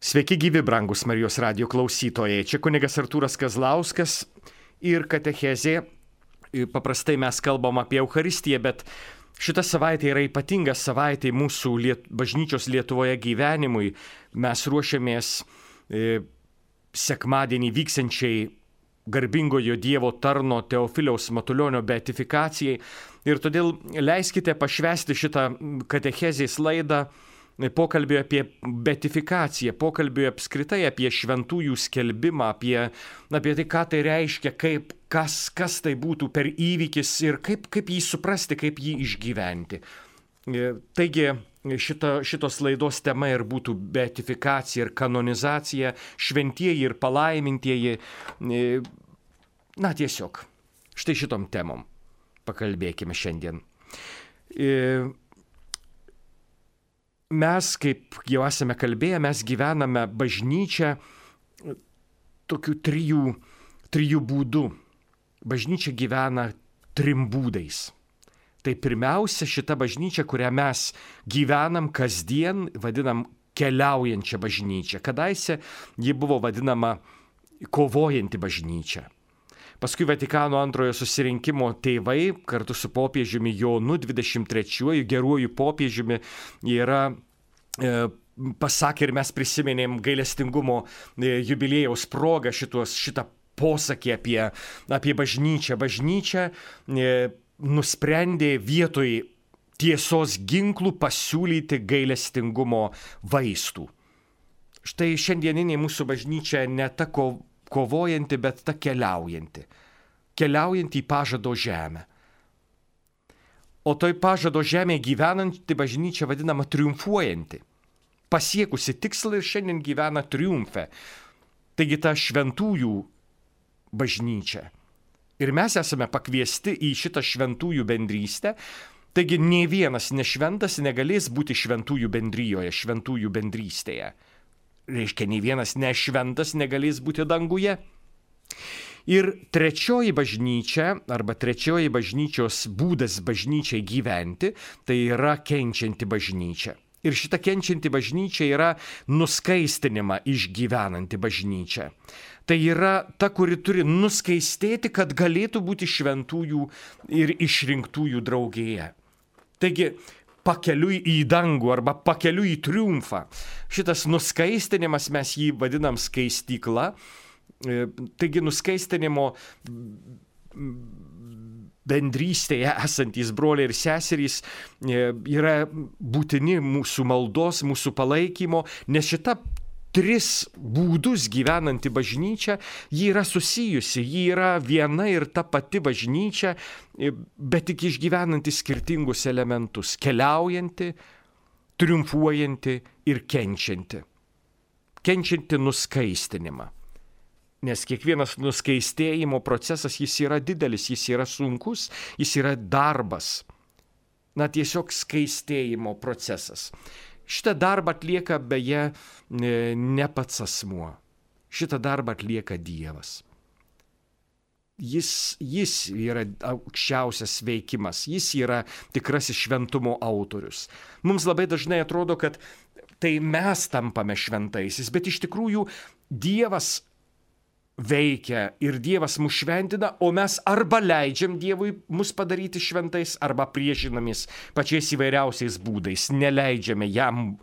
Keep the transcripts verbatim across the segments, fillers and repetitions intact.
Sveiki gyvi, brangus Marijos radijo klausytojai. Čia kunigas Artūras Kazlauskas ir katechezė. Paprastai mes kalbam apie Eucharistiją, bet šita savaitė yra ypatinga savaitė mūsų liet, bažnyčios Lietuvoje gyvenimui. Mes ruošiamės e, sekmadienį vyksiančiai garbingojo Dievo tarno Teofiliaus Matulionio beatifikacijai. Ir todėl leiskite pašvęsti šitą katechezės laidą pokalbį apie beatifikaciją, pokalbį apskritai apie šventųjų skelbimą, apie, apie tai, ką tai reiškia, kaip, kas, kas tai būtų per įvykis ir kaip, kaip jį suprasti, kaip jį išgyventi. Taigi šita, šitos laidos tema ir būtų beatifikacija ir kanonizacija, šventieji ir palaimintieji. Na tiesiog, štai šitom temom pakalbėkime šiandien. Mes, kaip jau esame kalbėję, mes gyvename bažnyčią tokių trijų, trijų būdų. Bažnyčia gyvena trim būdais. Tai pirmiausia, šita bažnyčia, kurią mes gyvenam kasdien, vadinam keliaujančią bažnyčią. Kadaise ji buvo vadinama kovojanti bažnyčia. Paskui Vatikano antrojo susirinkimo tėvai kartu su popiežiumi Jonu dvidešimt trečiuoju geruoju popiežiumi yra e, pasakė ir mes prisiminėm gailestingumo e, jubiliejaus progą šitos, šitą posakį apie, apie bažnyčią. Bažnyčia e, nusprendė vietoj tiesos ginklų pasiūlyti gailestingumo vaistų. Štai šiandieninė mūsų bažnyčia ne ta ko kovojanti, bet ta keliaujanti. Keliaujanti į pažado žemę. O toj pažado žemėje gyvenanti bažnyčia vadinama triumfuojanti. Pasiekusi tikslą ir šiandien gyvena triumfe. Taigi ta šventųjų bažnyčia. Ir mes esame pakviesti į šitą šventųjų bendrystę. Taigi nei vienas nešventas negalės būti šventųjų bendryjoje, šventųjų bendrystėje. Reiškia, nei vienas nešventas negalės būti danguje. Ir trečioji bažnyčia, arba trečioji bažnyčios būdas bažnyčiai gyventi, tai yra kenčianti bažnyčia. Ir šita kenčianti bažnyčia yra nuskaistinimą išgyvenanti bažnyčia. Tai yra ta, kuri turi nuskaistėti, kad galėtų būti šventųjų ir išrinktųjų draugėje. Taigi, pakeliui į dangų arba pakeliui į triumfą. Šitas nuskaistinimas, mes jį vadinam skaistykla. Taigi nuskaistinimo bendrystėje esantys broliai ir seserys yra būtini mūsų maldos, mūsų palaikymo, nes šita tris būdus gyvenanti bažnyčia, ji yra susijusi, ji yra viena ir ta pati bažnyčia, bet tik išgyvenanti skirtingus elementus, keliaujanti, triumfuojanti ir kenčianti. Kenčianti nuskaistinimą. Nes kiekvienas nuskaistėjimo procesas, jis yra didelis, jis yra sunkus, jis yra darbas. Na, tiesiog skaistėjimo procesas. Šitą darbą atlieka beje ne pats asmuo. Šitą darbą atlieka Dievas. Jis, jis yra aukščiausias veikimas, jis yra tikrasis šventumo autorius. Mums labai dažnai atrodo, kad tai mes tampame šventaisiais, bet iš tikrųjų Dievas veikia ir Dievas mus šventina, o mes arba leidžiam Dievui mus padaryti šventais, arba priešinamės pačiais įvairiausiais būdais, neleidžiame jam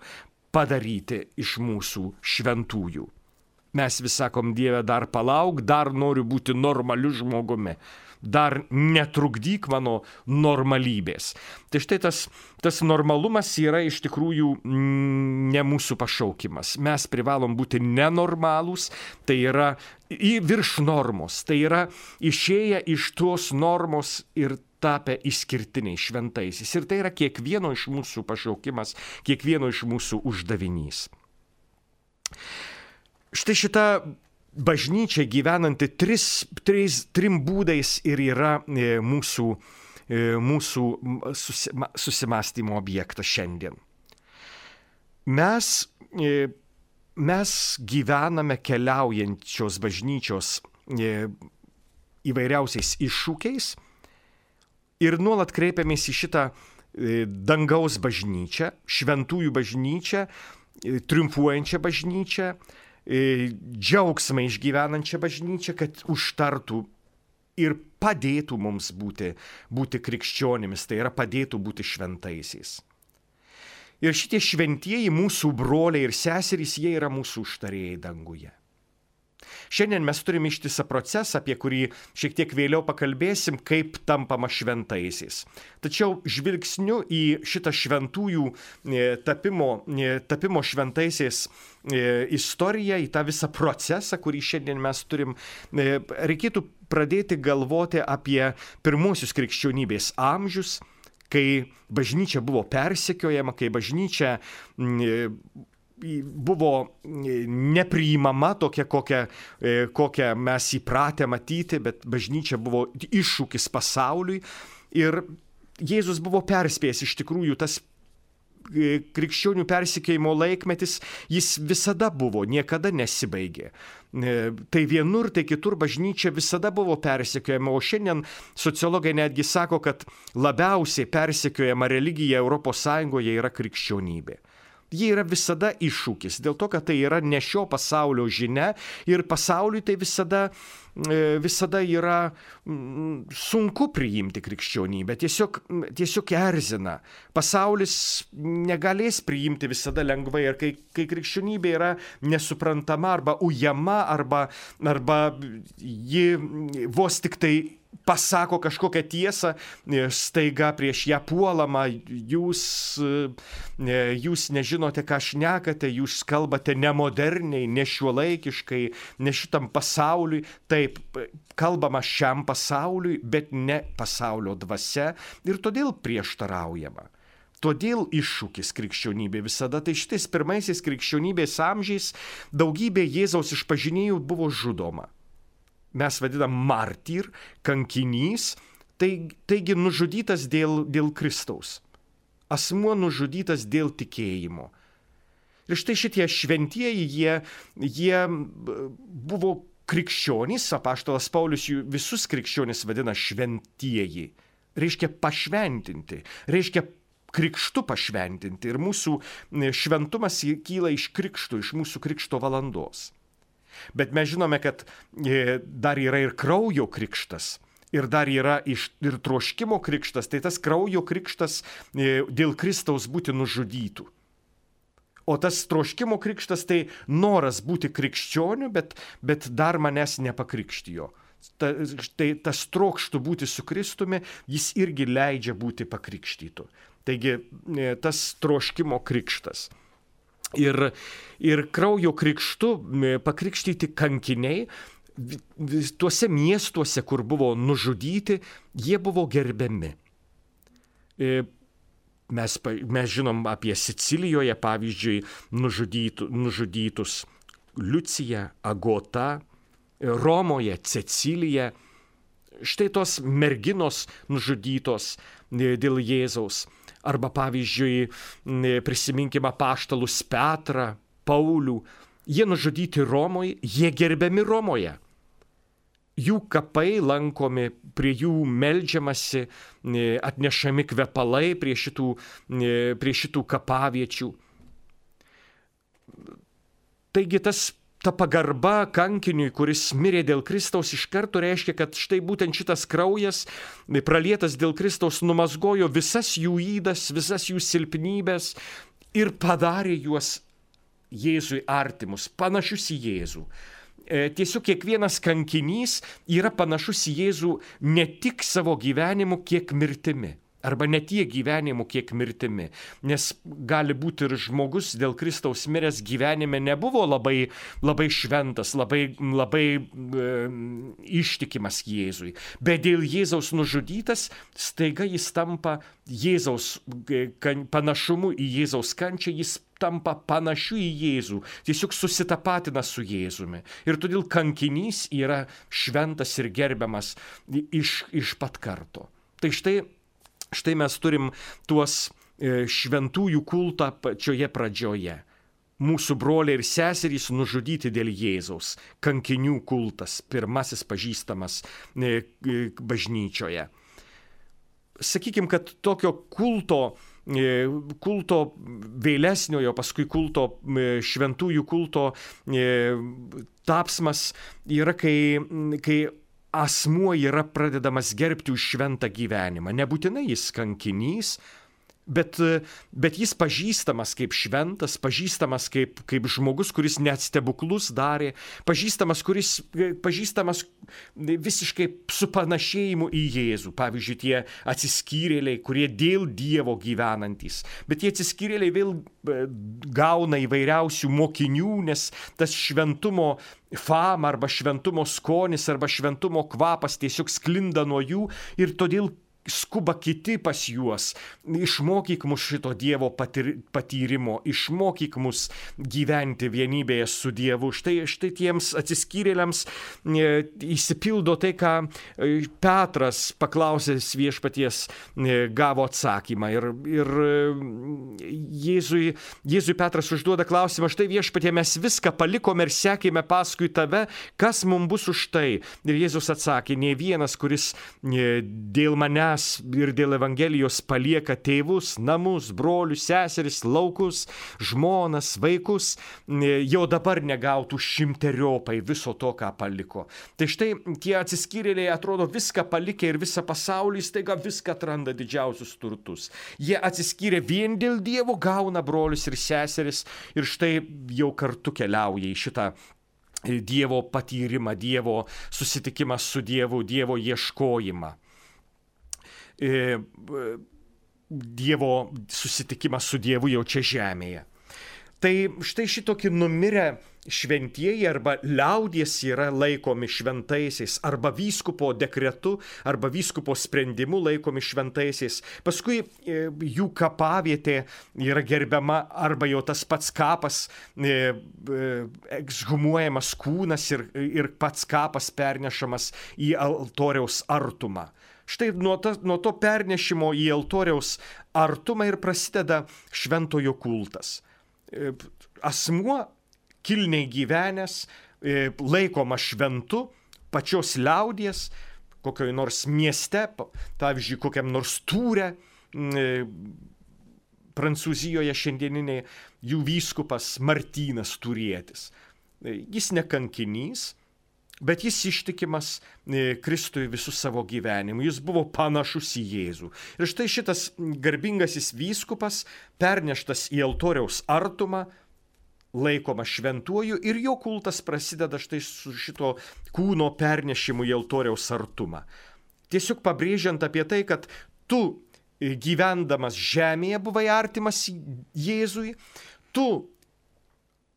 padaryti iš mūsų šventųjų. Mes vis sakom, Dieve, dar palauk, dar noriu būti normaliu žmogumi, dar netrukdyk mano normalybės. Tai štai tas, tas normalumas yra iš tikrųjų ne mūsų pašaukimas. Mes privalom būti nenormalūs, tai yra į virš normos, tai yra išėję iš tos normos ir tapę išskirtiniai šventaisiais. Ir tai yra kiekvieno iš mūsų pašaukimas, kiekvieno iš mūsų uždavinys. Štai šita bažnyčia gyvenanti tris, tris, trim būdais ir yra e, mūsų, e, mūsų susima, susimastymo objektas šiandien. Mes, e, mes gyvename keliaujančios bažnyčios e, įvairiausiais iššūkiais ir nuolat kreipiamės į šitą e, dangaus bažnyčią, šventųjų bažnyčią, triumfuojančią bažnyčią, džiaugsmą išgyvenančią bažnyčią, kad užtartų ir padėtų mums būti, būti krikščionimis, tai yra padėtų būti šventaisiais. Ir šitie šventieji mūsų broliai ir seserys, jie yra mūsų užtarėjai danguje. Šiandien mes turime ištisą procesą, apie kurį šiek tiek vėliau pakalbėsim, kaip tampama šventaisiais. Tačiau žvilgsniu į šitą šventųjų tapimo, tapimo šventaisiais istoriją, į tą visą procesą, kurį šiandien mes turim, reikėtų pradėti galvoti apie pirmuosius krikščionybės amžius, kai bažnyčia buvo persekiojama, kai bažnyčia buvo nepriimama tokia, kokią, kokią mes įpratę matyti, bet bažnyčia buvo iššūkis pasauliui. Ir Jėzus buvo perspėjęs, iš tikrųjų, tas krikščionių persekiojimo laikmetis, jis visada buvo, niekada nesibaigė. Tai vienur, tai kitur bažnyčia visada buvo persekiojama, o šiandien sociologai netgi sako, kad labiausiai persekiojama religija Europos Sąjungoje yra krikščionybė. Jie yra visada iššūkis, dėl to, kad tai yra ne šio pasaulio žinia ir pasauliui tai visada, visada yra sunku priimti krikščionybę, tiesiog, tiesiog erzina. Pasaulis negalės priimti visada lengvai ir kai, kai krikščionybė yra nesuprantama arba ujama arba, arba ji vos tik tai pasako kažkokią tiesą, staiga prieš ją puolama, jūs, jūs nežinote, ką šnekate, jūs kalbate nemoderniai, nešiuolaikiškai, ne šitam pasauliui, taip, kalbama šiam pasauliui, bet ne pasaulio dvasia ir todėl prieštaraujama. Todėl iššūkis krikščionybė visada, tai šitais pirmaisiais krikščionybės amžiais daugybė Jėzaus išpažinėjų buvo žudoma. Mes vadinam martyr, kankinys, tai, taigi nužudytas dėl, dėl Kristaus. Asmuo nužudytas dėl tikėjimo. Ir štai šitie šventieji, jie, jie buvo krikščionys, apaštalas Paulius jų visus krikščionys vadina šventieji. Reiškia pašventinti, reiškia krikštu pašventinti. Ir mūsų šventumas kyla iš krikštų, iš mūsų krikšto valandos. Bet mes žinome, kad dar yra ir kraujo krikštas, ir dar yra iš, ir troškimo krikštas, tai tas kraujo krikštas dėl Kristaus būti nužudytų. O tas troškimo krikštas tai noras būti krikščioniu, bet, bet dar manęs nepakrikštijo. Ta, tai tas trokštų būti su Kristumi, jis irgi leidžia būti pakrikštytu. Taigi tas troškimo krikštas. Ir, ir kraujo krikštu pakrikštyti kankiniai, tuose miestuose, kur buvo nužudyti, jie buvo gerbiami. Mes, mes žinom apie Sicilijoje, pavyzdžiui, nužudytų, nužudytus Liucija, Agota, Romoje Cecilija. Štai tos merginos nužudytos dėl Jėzaus. Arba, pavyzdžiui, prisiminkime apaštalus Petrą, Paulių. Jie nužudyti Romoje, jie gerbiami Romoje. Jų kapai lankomi, prie jų meldžiamasi, atnešami kvepalai prie šitų, prie šitų kapaviečių. Taigi tas ta pagarba kankiniui, kuris mirė dėl Kristaus, iš karto reiškia, kad štai būtent šitas kraujas, pralietas dėl Kristaus, numazgojo visas jų ydas, visas jų silpnybės ir padarė juos Jėzui artimus, panašius į Jėzų. Tiesiog kiekvienas kankinys yra panašus į Jėzų ne tik savo gyvenimu, kiek mirtimi. Arba ne tiek gyvenimu, kiek mirtimi. Nes gali būti ir žmogus dėl Kristaus miręs gyvenime nebuvo labai, labai šventas, labai, labai e, ištikimas Jėzui. Bet dėl Jėzaus nužudytas, staiga jis tampa Jėzaus kan, panašumu į Jėzaus kančią, jis tampa panašiu į Jėzų, tiesiog susitapatina su Jėzumi. Ir todėl kankinys yra šventas ir gerbiamas iš, iš pat karto. Tai štai Štai mes turim tuos šventųjų kultą pačioje pradžioje. Mūsų broliai ir seserys nužudyti dėl Jėzaus. Kankinių kultas, pirmasis pažįstamas bažnyčioje. Sakykime, kad tokio kulto kulto vėlesniojo, paskui kulto šventųjų kulto tapsmas yra, kai, kai asmuo yra pradedamas gerbti už šventą gyvenimą. Nebūtinai jis kankinys, Bet, bet jis pažįstamas kaip šventas, pažįstamas kaip, kaip žmogus, kuris net stebuklus darė, pažįstamas, kuris, pažįstamas visiškai su panašėjimu į Jėzų. Pavyzdžiui, tie atsiskyrėliai, kurie dėl Dievo gyvenantys. Bet tie atsiskyrėliai vėl gauna įvairiausių mokinių, nes tas šventumo fama arba šventumo skonis arba šventumo kvapas tiesiog sklinda nuo jų ir todėl skuba kiti pas juos. Išmokyk mus šito Dievo patir, patyrimo, išmokyk mus gyventi vienybėje su Dievu. Štai, štai tiems atsiskyrėliams e, įsipildo tai, ką Petras paklausęs viešpaties e, gavo atsakymą. Ir, ir Jėzui, Jėzui Petras užduoda klausimą, štai viešpatie, mes viską palikome ir sekėme paskui tave, kas mums bus už tai? Ir Jėzus atsakė, nei vienas, kuris e, dėl manęs ir dėl Evangelijos palieka tėvus, namus, brolius, seseris, laukus, žmonas, vaikus, jau dabar negautų šimteriopai viso to, ką paliko. Tai štai tie atsiskyrėliai atrodo viską palikę ir visą pasaulį, staiga viską atranda didžiausius turtus. Jie atsiskyrė vien dėl Dievo, gauna brolius ir seseris ir štai jau kartu keliauja į šitą Dievo patyrimą, Dievo susitikimą su Dievu, Dievo ieškojimą. Dievo susitikimas su Dievu jau čia žemėje. Tai štai šitokį numirę šventieji arba liaudies yra laikomi šventaisiais, arba vyskupo dekretu, arba vyskupo sprendimu laikomi šventaisiais. Paskui jų kapavietė yra gerbiama, arba jau tas pats kapas, ekshumuojamas kūnas ir, ir pats kapas pernešamas į altoriaus artumą. Štai nuo, ta, nuo to pernešimo į altoriaus artumą ir prasideda šventojo kultas. Asmuo kilniai gyvenęs, laikoma šventu, pačios liaudies, kokioj nors mieste, pavyzdžiui, kokiam nors Tūre, Prancūzijoje šiandieniniai, jų vyskupas Martynas Turietis. Jis ne kankinys, bet jis ištikimas Kristui visų savo gyvenimu. Jis buvo panašus į Jėzų. Ir štai šitas garbingasis vyskupas, perneštas į altoriaus artumą, laikoma šventuoju ir jo kultas prasideda štai su šito kūno pernešimu į altoriaus artumą. Tiesiog pabrėžiant apie tai, kad tu gyvendamas žemėje buvai artimas Jėzui, tu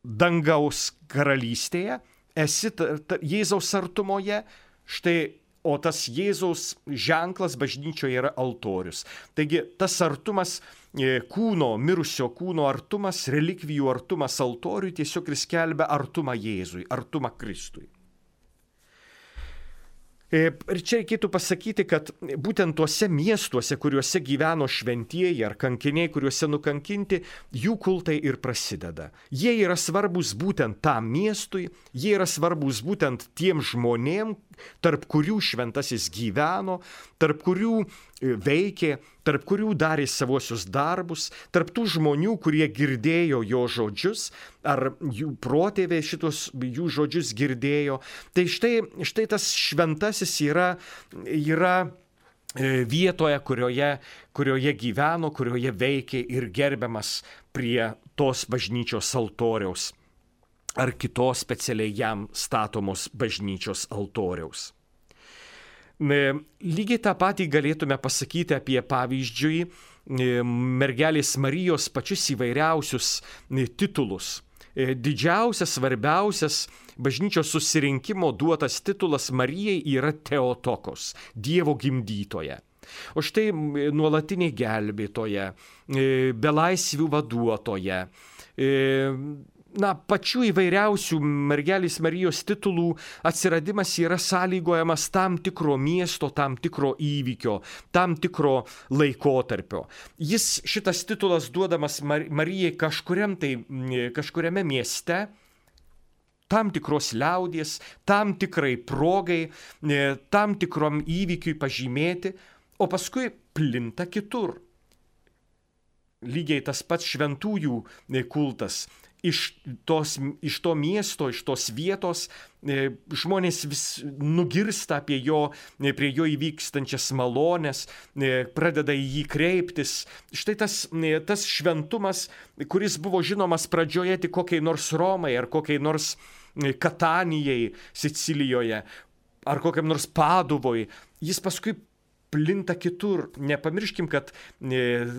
dangaus karalystėje esi ta, ta, Jėzaus artumoje, štai, o tas Jėzaus ženklas bažnyčioje yra altorius. Taigi tas artumas, kūno, mirusio kūno artumas, relikvijų artumas altoriui tiesiog ir skelbia artumą Jėzui, artumą Kristui. Ir čia reikėtų pasakyti, kad būtent tuose miestuose, kuriuose gyveno šventieji ar kankiniai, kuriuose nukankinti, jų kultai ir prasideda. Jie yra svarbus būtent tam miestui, jie yra svarbus būtent tiem žmonėm, tarp kurių šventasis gyveno, tarp kurių veikė, tarp kurių darė savuosius darbus, tarp tų žmonių, kurie girdėjo jo žodžius, ar jų protėviai šitos jų žodžius girdėjo. Tai štai, štai tas šventasis yra, yra vietoje, kurioje, kurioje gyveno, kurioje veikė ir gerbiamas prie tos bažnyčios altoriaus ar kitos specialiai jam statomos bažnyčios altoriaus. Lygiai tą patį galėtume pasakyti apie, pavyzdžiui, mergelės Marijos pačius įvairiausius titulus. Didžiausias, svarbiausias bažnyčios susirinkimo duotas titulas Marijai yra Teotokos, Dievo gimdytoja. O štai nuolatinė gelbėtoja, belaisvių vaduotoja, na, pačių įvairiausių mergelės Marijos titulų atsiradimas yra sąlygojamas tam tikro miesto, tam tikro įvykio, tam tikro laikotarpio. Jis, šitas titulas duodamas Marijai kažkuriam tai, kažkuriame mieste, tam tikros liaudies, tam tikrai progai, tam tikrom įvykiui pažymėti, o paskui plinta kitur. lygiai tas pats šventųjų kultas. Iš, tos, iš to miesto, iš tos vietos e, žmonės vis nugirsta apie jo, e, prie jo įvykstančias malones, e, pradeda į jį kreiptis. Štai tas, e, tas šventumas, kuris buvo žinomas pradžioje tik kokiai nors Romai ar kokiai nors e, Katanijai Sicilijoje ar kokiam nors Paduvoj, jis paskui plinta kitur. Nepamirškim, kad e,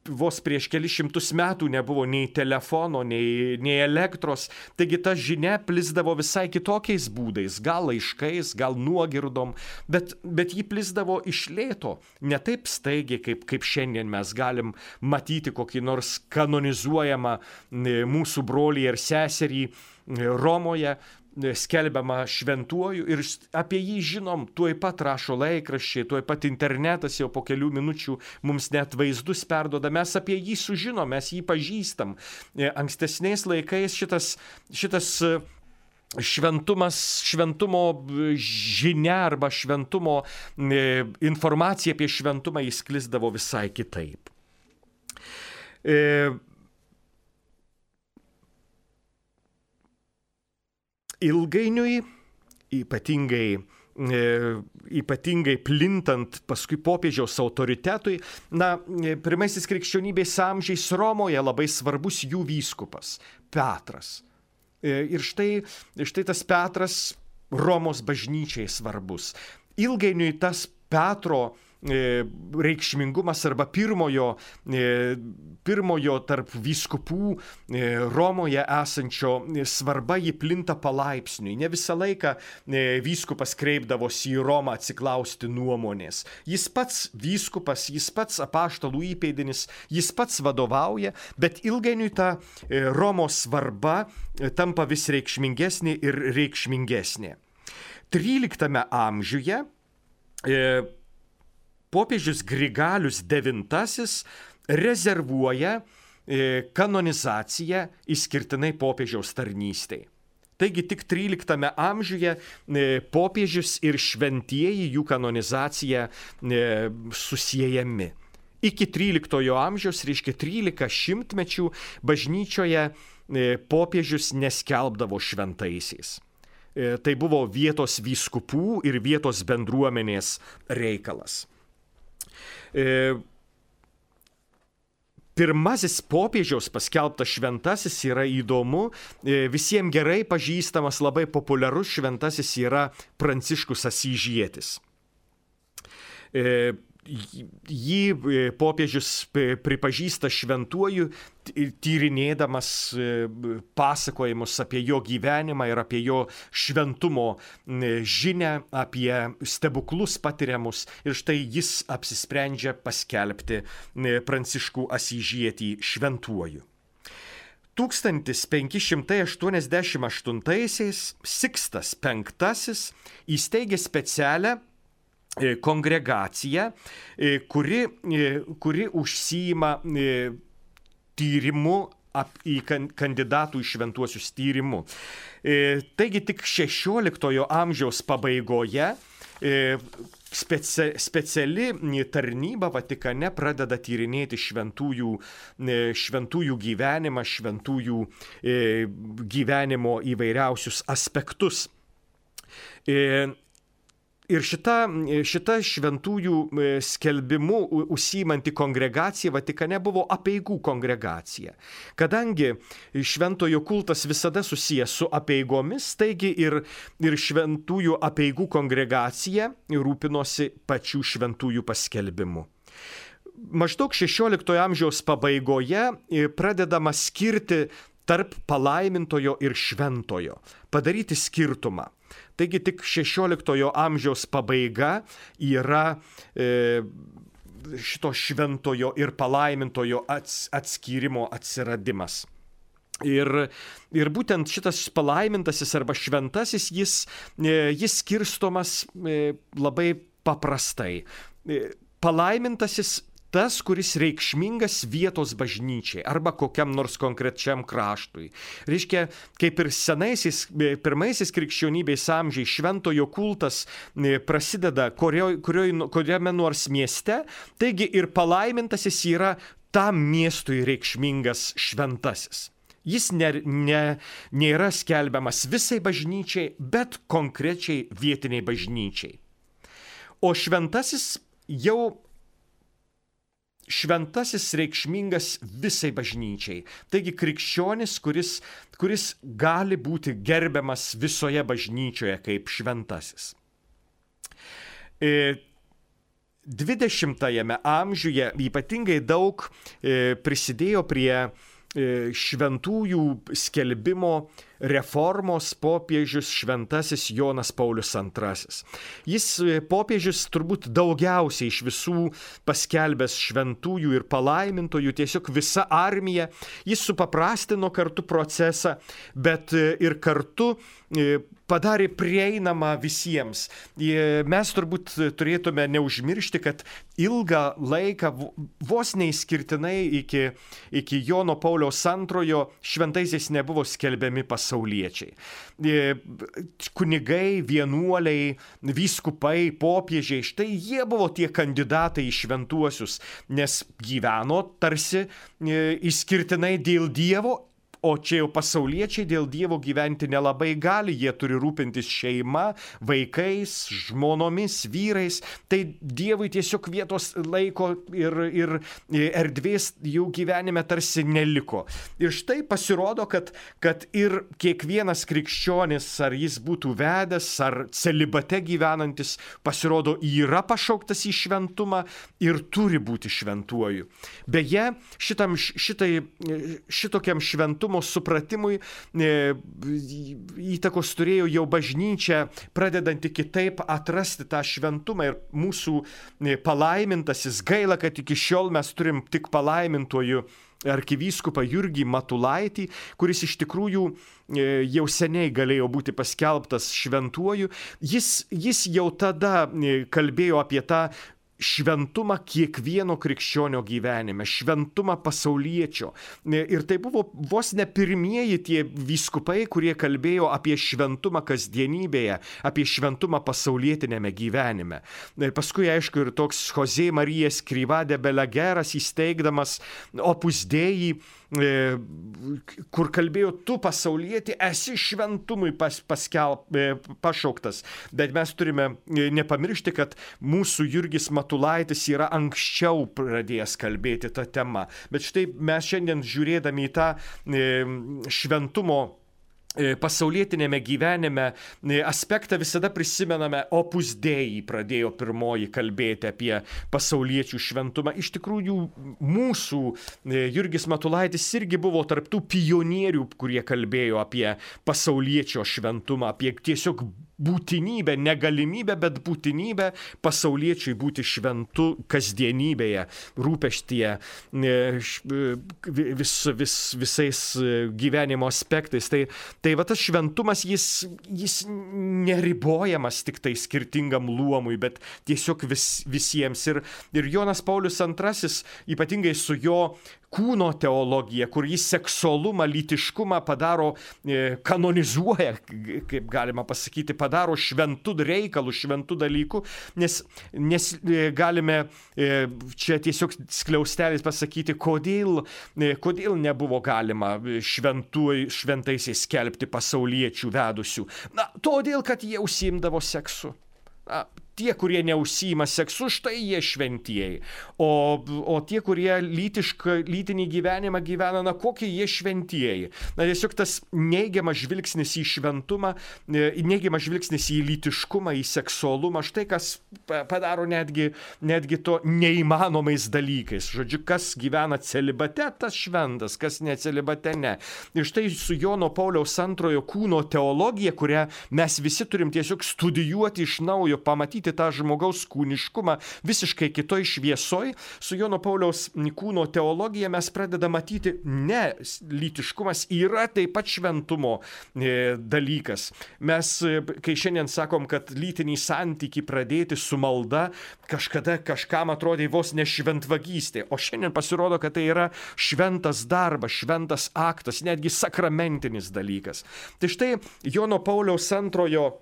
vos prieš kelis šimtus metų nebuvo nei telefono, nei, nei elektros, taigi ta žinia plisdavo visai kitokiais būdais, gal laiškais, gal nuogirdom, bet, bet ji plisdavo iš lėto, ne taip staigiai, kaip, kaip šiandien mes galim matyti kokį nors kanonizuojamą mūsų brolį ir seserį Romoje, skelbiama šventuoju ir apie jį žinom, tuoj pat rašo laikraščiai, tuoj pat internetas jau po kelių minučių mums net vaizdus perduoda, mes apie jį sužinom, mes jį pažįstam. Ankstesniais laikais šitas, šitas šventumas, šventumo žinia arba šventumo informacija apie šventumą įsklisdavo visai kitaip. E, Ilgainiui, ypatingai, e, ypatingai plintant paskui popiežiaus autoritetui, na, pirmaisiais krikščionybės amžiais Romoje labai svarbus jų vyskupas Petras. E, ir štai, štai tas Petras Romos bažnyčiai svarbus. Ilgainiui tas Petro reikšmingumas arba pirmojo, pirmojo tarp vyskupų Romoje esančio svarba jį plinta palaipsniui. Ne visą laiką vyskupas kreipdavosi į Romą atsiklausti nuomonės. Jis pats vyskupas, jis pats apaštalų įpėdinis, jis pats vadovauja, bet ilgainiui ta Romos svarba tampa vis reikšmingesnė ir reikšmingesnė. tryliktame amžiuje popiežius Grigalius devintasis rezervuoja kanonizaciją išskirtinai popiežiaus tarnystei. Taigi tik tryliktame amžiuje popiežius ir šventieji jų kanonizacija susiejami. Iki tryliktojo amžiaus, reiškia trylika šimtmečių, bažnyčioje popiežius neskelbdavo šventaisiais. Tai buvo vietos vyskupų ir vietos bendruomenės reikalas. Pirmasis popiežiaus paskelbtas šventasis yra įdomu, visiems gerai pažįstamas, labai populiarus šventasis yra Pranciškus Asyžietis. Jį popiežius pripažįsta šventuoju, tyrinėdamas pasakojimus apie jo gyvenimą ir apie jo šventumo žinią, apie stebuklus patiriamus. Ir štai jis apsisprendžia paskelbti Pranciškų Asyžietį šventuoju. tūkstantis penki šimtai aštuoniasdešimt aštuntaisiais Sikstas penktasis įsteigė specialią kongregacija, kuri, kuri užsiima tyrimu į kandidatų į šventuosius tyrimu. Taigi tik šešioliktojo amžiaus pabaigoje speci, speciali tarnyba Vatikane pradeda tyrinėti šventųjų, šventųjų gyvenimą, šventųjų gyvenimo įvairiausius aspektus. Ir šita, šita šventųjų skelbimu užsiimanti kongregacija Vatikane buvo apeigų kongregacija. Kadangi šventojo kultas visada susijęs su apeigomis, taigi ir, ir šventųjų apeigų kongregacija rūpinosi pačių šventųjų paskelbimu. Maždaug šešioliktojo amžiaus pabaigoje pradedama skirti tarp palaimintojo ir šventojo, padaryti skirtumą. Taigi tik šešioliktojo amžiaus pabaiga yra e, šito šventojo ir palaimintojo ats, atskyrimo atsiradimas. Ir, ir būtent šitas palaimintasis arba šventasis, jis, e, jis skirstomas e, labai paprastai. E, palaimintasis tas, kuris reikšmingas vietos bažnyčiai arba kokiam nors konkrečiam kraštui. Reiškia, kaip ir senaisiais, pirmaisiais krikščionybės amžiais šventojo kultas prasideda kurio, kurio, kuriame nors mieste, taigi ir palaimintasis yra tam miestui reikšmingas šventasis. Jis ne, ne, nėra skelbiamas visai bažnyčiai, bet konkrečiai vietiniai bažnyčiai. O šventasis jau šventasis reikšmingas visai bažnyčiai. Taigi krikščionis, kuris, kuris gali būti gerbiamas visoje bažnyčioje kaip šventasis. dvidešimtajame amžiuje ypatingai daug prisidėjo prie šventųjų skelbimo reformos popiežius šventasis Jonas Paulius antrasis. Jis popiežius turbūt daugiausiai iš visų paskelbęs šventųjų ir palaimintojų, tiesiog visa armija. Jis supaprastino kartu procesą, bet ir kartu padarė prieinamą visiems. Mes turbūt turėtume neužmiršti, kad ilgą laiką, vos neįskirtinai iki, iki Jono Pauliaus antrojo, šventaisiais nebuvo skelbiami pasauliečiai. Kunigai, vienuoliai, vyskupai, popiežiai, štai jie buvo tie kandidatai į šventuosius, nes gyveno tarsi išskirtinai dėl Dievo. O čia jau pasauliečiai dėl Dievo gyventi nelabai gali, jie turi rūpintis šeima, vaikais, žmonomis, vyrais. Tai Dievui tiesiog vietos laiko ir, ir erdvės jų gyvenime tarsi neliko. Ir štai pasirodo, kad, kad ir kiekvienas krikščionis, ar jis būtų vedęs, ar celibate gyvenantis, pasirodo yra pašauktas į šventumą ir turi būti šventuoju. Beje, šitam, šitai, šitokiam šventumui supratimui įtakos turėjo jau bažnyčia, pradedanti kitaip atrasti tą šventumą ir mūsų palaimintasis. Gaila, kad iki šiol mes turim tik palaimintojų arkivyskupą Jurgį Matulaitį, kuris iš tikrųjų jau seniai galėjo būti paskelbtas šventuoju. Jis, jis jau tada kalbėjo apie tą šventumą kiekvieno krikščionio gyvenime, šventumą pasauliečio. Ir tai buvo vos ne pirmieji tie vyskupai, kurie kalbėjo apie šventumą kasdienybėje, apie šventumą pasaulietinėme gyvenime. Ir paskui, aišku, ir toks José María Escrivá de Balagueras įsteigdamas Opus Dei, kur kalbėjo, tu pasaulietį esi šventumui pas, paskelb, pašauktas. Bet mes turime nepamiršti, kad mūsų Jurgis Matulaitis yra anksčiau pradėjęs kalbėti tą temą. Bet štai mes šiandien žiūrėdami į tą šventumo pasaulietinėme gyvenime aspektą visada prisimename. Opus Dei pradėjo pirmoji kalbėti apie pasauliečių šventumą. Iš tikrųjų, mūsų Jurgis Matulaitis irgi buvo tarptų pionierių, kurie kalbėjo apie pasauliečio šventumą, apie tiesiog būtinybę, negalimybę, bet būtinybę pasauliečiui būti šventu kasdienybėje, rūpeštyje, vis, vis, visais gyvenimo aspektais. Tai, tai va tas šventumas, jis, jis neribojamas tik tai skirtingam luomui, bet tiesiog vis, visiems. Ir, ir Jonas Paulius antrasis, ypatingai su jo kūno teologija, kur jis seksualumą, lytiškumą padaro, e, kanonizuoja, kaip galima pasakyti, padaro šventų reikalų, šventų dalykų, nes, nes e, galime e, čia tiesiog skliaustelis pasakyti, kodėl, e, kodėl nebuvo galima šventų, šventaisiais skelbti pasauliečių vedusių. Na, todėl, kad jie užsiimdavo seksu. Na, tie, kurie neužsiima seksu, štai jie šventieji. O, o tie, kurie lytišką, lytinį gyvenimą gyvena, na, kokie jie šventieji. Na, tiesiog tas neigiamas žvilgsnis į šventumą, neigiamas žvilgsnis į lytiškumą, į seksualumą, štai kas padaro netgi, netgi to neįmanomais dalykais. Žodžiu, kas gyvena celibate, tas šventas, kas ne celibate, ne. Ir štai su Jono Pauliaus antrojo kūno teologija, kurią mes visi turim tiesiog studijuoti iš naujo, pamatyti tą žmogaus kūniškumą visiškai kitoj šviesoj, su Jono Pauliaus kūno teologija mes pradedame matyti, ne, lytiškumas yra taip pat šventumo e, dalykas. Mes, kai šiandien sakom, kad lytinį santykį pradėti su malda, kažkada kažkam atrodė vos ne šventvagystė, o šiandien pasirodo, kad tai yra šventas darbas, šventas aktas, netgi sakramentinis dalykas. Tai štai Jono Pauliaus antrojo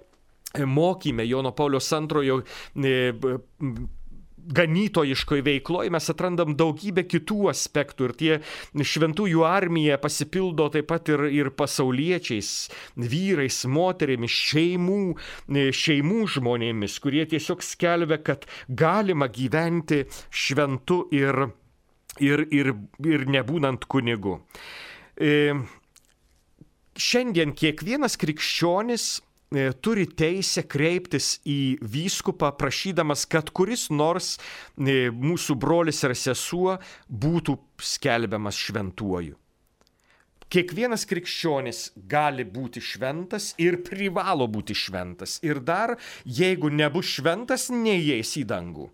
mokyme, Jono Pauliaus antrojo ganytojiškoje veikloje mes atrandam daugybę kitų aspektų ir tie šventųjų armija pasipildo taip pat ir, ir pasauliečiais, vyrais, moterimis, šeimų, šeimų žmonėmis, kurie tiesiog skelbia, kad galima gyventi šventu ir, ir, ir, ir nebūnant kunigu. E, šiandien kiekvienas krikščionis turi teisę kreiptis į vyskupą, prašydamas, kad kuris nors mūsų brolis ar sesuo būtų skelbiamas šventuoju. Kiekvienas krikščionis gali būti šventas ir privalo būti šventas. Ir dar, jeigu nebus šventas, neįeis į dangų.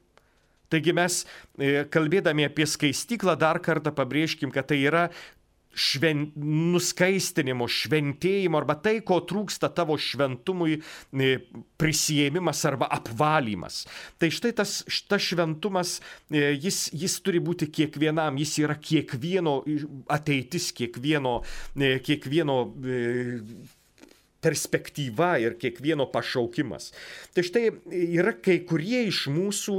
Taigi mes, kalbėdami apie skaistyklą, dar kartą pabrėžkim, kad tai yra šven, nuskaistinimo, šventėjimo arba tai, ko trūksta tavo šventumui prisiėmimas arba apvalymas. Tai štai tas, tas šventumas, jis, jis turi būti kiekvienam, jis yra kiekvieno ateitis, kiekvieno, kiekvieno perspektyva ir kiekvieno pašaukimas. Tai štai yra kai kurie iš mūsų,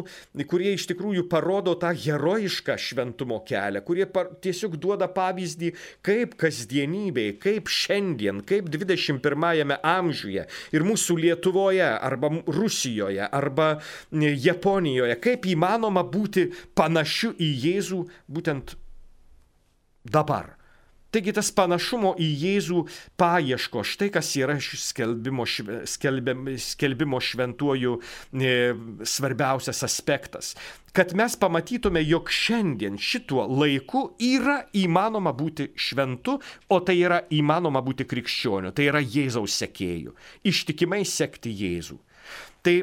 kurie iš tikrųjų parodo tą herojišką šventumo kelią, kurie par, tiesiog duoda pavyzdį, kaip kasdienybėje, kaip šiandien, kaip dvidešimt pirmajame amžiuje ir mūsų Lietuvoje arba Rusijoje arba Japonijoje, kaip įmanoma būti panašiu į Jėzų būtent dabar. Taigi tas panašumo į Jėzų paieško, štai kas yra skelbimo, skelbimo, skelbimo šventuoju e, svarbiausias aspektas. Kad mes pamatytume, jog šiandien šituo laiku yra įmanoma būti šventu, o tai yra įmanoma būti krikščioniu, tai yra Jėzaus sekėju, ištikimai sekti Jėzų. Tai,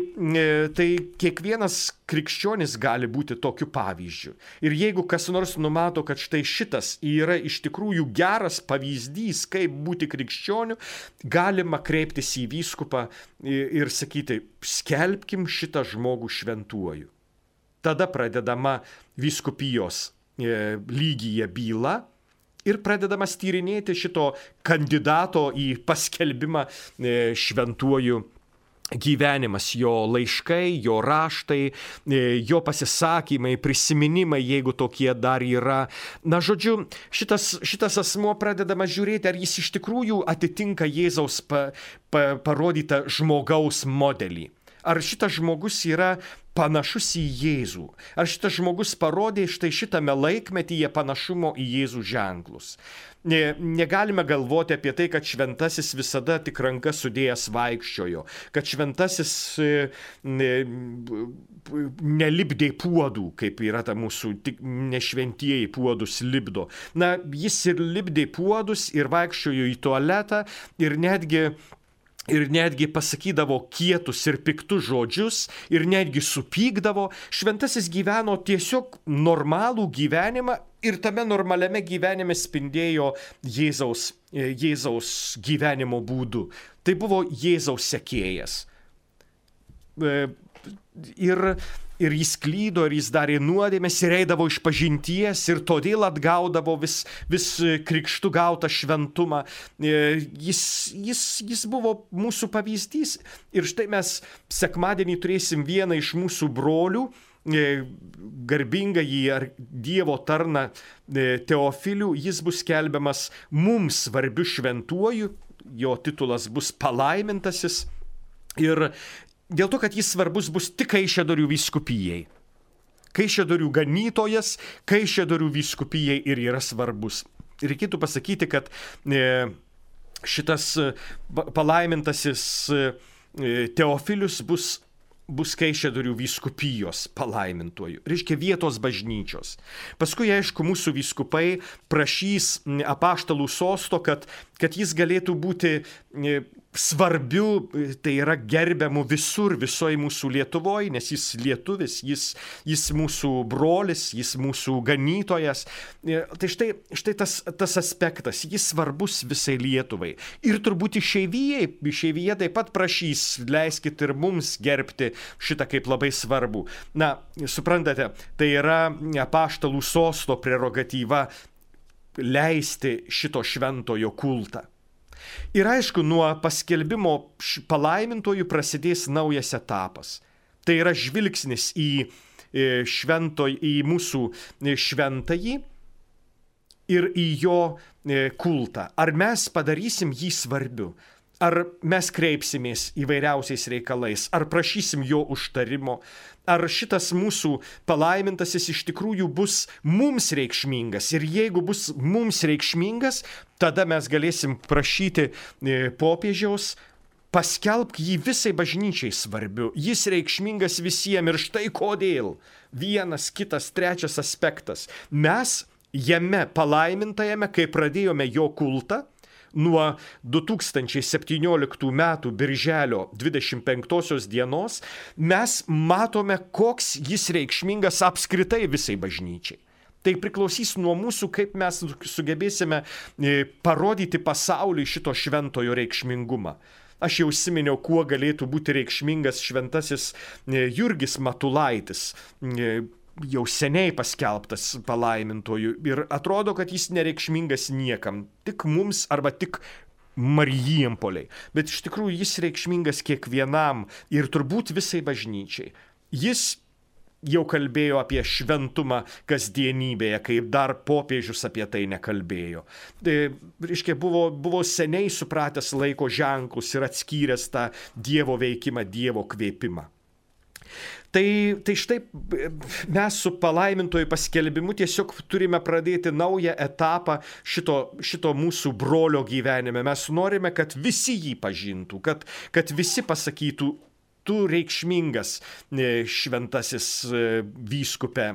tai kiekvienas krikščionis gali būti tokiu pavyzdžiu. Ir jeigu kas nors numato, kad štai šitas yra iš tikrųjų geras pavyzdys, kaip būti krikščioniu, galima kreiptis į vyskupą ir sakyti, skelbkim šitą žmogų šventuoju. Tada pradedama vyskupijos lygyje byla ir pradedamas tyrinėti šito kandidato į paskelbimą šventuoju gyvenimas, jo laiškai, jo raštai, jo pasisakymai, prisiminimai, jeigu tokie dar yra. Na, žodžiu, šitas, šitas asmuo pradedama žiūrėti, ar jis iš tikrųjų atitinka Jėzaus pa, pa, parodytą žmogaus modelį. Ar šitas žmogus yra panašus į Jėzų? Ar šitas žmogus parodė štai šitame laikmetyje panašumo į Jėzų ženklus? Ne, negalime galvoti apie tai, kad šventasis visada tik rankas sudėjęs vaikščiojo, kad šventasis ne, nelipdė puodų, kaip yra ta mūsų tik nešventieji puodus lipdo. Na, jis ir lipdė puodus, ir vaikščiojo į tualetą, ir netgi Ir netgi pasakydavo kietus ir piktus žodžius, ir netgi supykdavo. Šventasis gyveno tiesiog normalų gyvenimą ir tame normaliame gyvenime spindėjo Jėzaus, Jėzaus gyvenimo būdu. Tai buvo Jėzaus sekėjas. Ir, ir jis klydo, ir jis darė nuodėmes, ir eidavo iš pažinties, ir todėl atgaudavo vis, vis krikštu gautą šventumą. Jis, jis, jis buvo mūsų pavyzdys. Ir štai mes sekmadienį turėsim vieną iš mūsų brolių, garbingąjį ar Dievo tarną Teofilių. Jis bus skelbiamas mums svarbiu šventuoju, jo titulas bus palaimintasis. Ir dėl to, kad jis svarbus bus tik Kaišiadorių vyskupijai. Kaišiadorių ganytojas, Kaišiadorių vyskupijai ir yra svarbus. Reikėtų pasakyti, kad šitas palaimintasis Teofilius bus, bus Kaišiadorių vyskupijos palaimintuoju. Reiškia vietos bažnyčios. Paskui, aišku, mūsų vyskupai prašys apaštalų sosto, kad, kad jis galėtų būti svarbiu, tai yra gerbiamu visur, visoje mūsų Lietuvoje, nes jis lietuvis, jis, jis mūsų brolis, jis mūsų ganytojas. Tai štai, štai tas, tas aspektas, jis svarbus visai Lietuvai. Ir turbūt išeivijai, išeivija taip pat prašys, leiskit ir mums gerbti šitą kaip labai svarbu. Na, suprantate, tai yra apaštalų sosto prerogatyva leisti šito šventojo kultą. Ir aišku, nuo paskelbimo palaimintojų prasidės naujas etapas. Tai yra žvilgsnis į švento, į mūsų šventąjį ir į jo kultą. Ar mes padarysim jį svarbiu? Ar mes kreipsimės įvairiausiais reikalais? Ar prašysim jo užtarimo? Ar šitas mūsų palaimintasis iš tikrųjų bus mums reikšmingas? Ir jeigu bus mums reikšmingas, tada mes galėsim prašyti popiežiaus, paskelbk jį visai bažnyčiai svarbiu. Jis reikšmingas visiems ir štai kodėl. Vienas, kitas, trečias aspektas. Mes jame palaimintajame, kai pradėjome jo kultą, nuo du tūkstančiai septynioliktų metų birželio dvidešimt penktosios dienos, mes matome, koks jis reikšmingas apskritai visai bažnyčiai. Tai priklausys nuo mūsų, kaip mes sugebėsime parodyti pasauliui šito šventojo reikšmingumą. Aš jau užsiminiau, kuo galėtų būti reikšmingas šventasis Jurgis Matulaitis, jau seniai paskelbtas palaimintojų, ir atrodo, kad jis nereikšmingas niekam, tik mums arba tik Marijampoliai. Bet iš tikrųjų jis reikšmingas kiekvienam ir turbūt visai bažnyčiai. Jis jau kalbėjo apie šventumą kasdienybėje, kaip dar popiežius apie tai nekalbėjo. Tai, reiškia, buvo, buvo seniai supratęs laiko ženklus ir atskyręs tą Dievo veikimą, Dievo kvėpimą. Tai, tai štai mes su palaimintojų paskelbimu tiesiog turime pradėti naują etapą šito, šito mūsų brolio gyvenime. Mes norime, kad visi jį pažintų, kad, kad visi pasakytų, tu reikšmingas šventasis vyskupe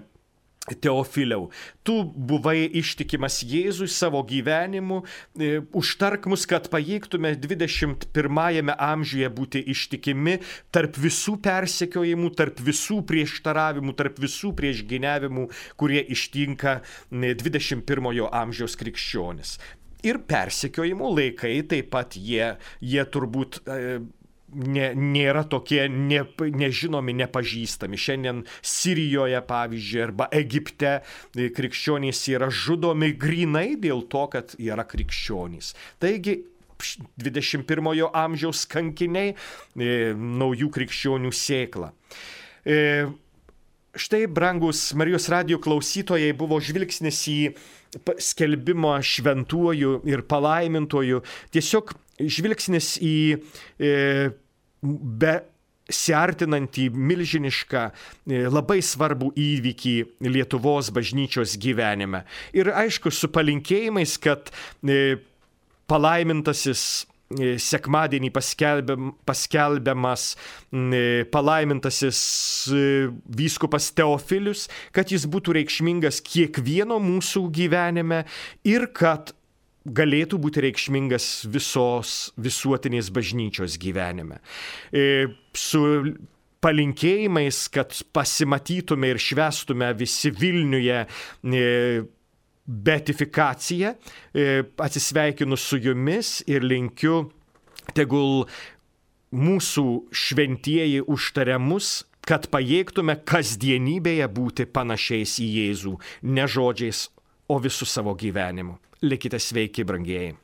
Teofiliau, tu buvai ištikimas Jėzui savo gyvenimu, užtark mus, kad pajėgtume dvidešimt pirmajame amžiuje būti ištikimi tarp visų persekiojimų, tarp visų prieštaravimų, tarp visų priešgyniavimų, kurie ištinka dvidešimt pirmojo amžiaus krikščionis. Ir persekiojimų laikai taip pat jie, jie turbūt Ne, nėra tokie ne, nežinomi, nepažįstami. Šiandien Sirijoje, pavyzdžiui, arba Egipte krikščionys yra žudomi grynai dėl to, kad yra krikščionys. Taigi, dvidešimt pirmojo amžiaus kankiniai, e, naujų krikščionių sėkla. E, štai, brangus Marijos radijo klausytojai, buvo žvilgsnis į skelbimą šventuoju ir palaimintoju, tiesiog žvilgsnis į e, besiartinantį milžinišką, e, labai svarbų įvykį Lietuvos bažnyčios gyvenime. Ir aišku, su palinkėjimais, kad e, palaimintasis e, sekmadienį paskelbiam, paskelbiamas e, palaimintasis e, vyskupas Teofilius, kad jis būtų reikšmingas kiekvieno mūsų gyvenime ir kad galėtų būti reikšmingas visos visuotinės bažnyčios gyvenime. E, su palinkėjimais, kad pasimatytume ir švęstume visi Vilniuje e, beatifikaciją, e, atsisveikinu su jumis ir linkiu, tegul mūsų šventieji užtaria mus, kad pajėgtume kasdienybėje būti panašiais į Jėzų, ne žodžiais, o visų savo gyvenimu. Likite sveiki, brangieji.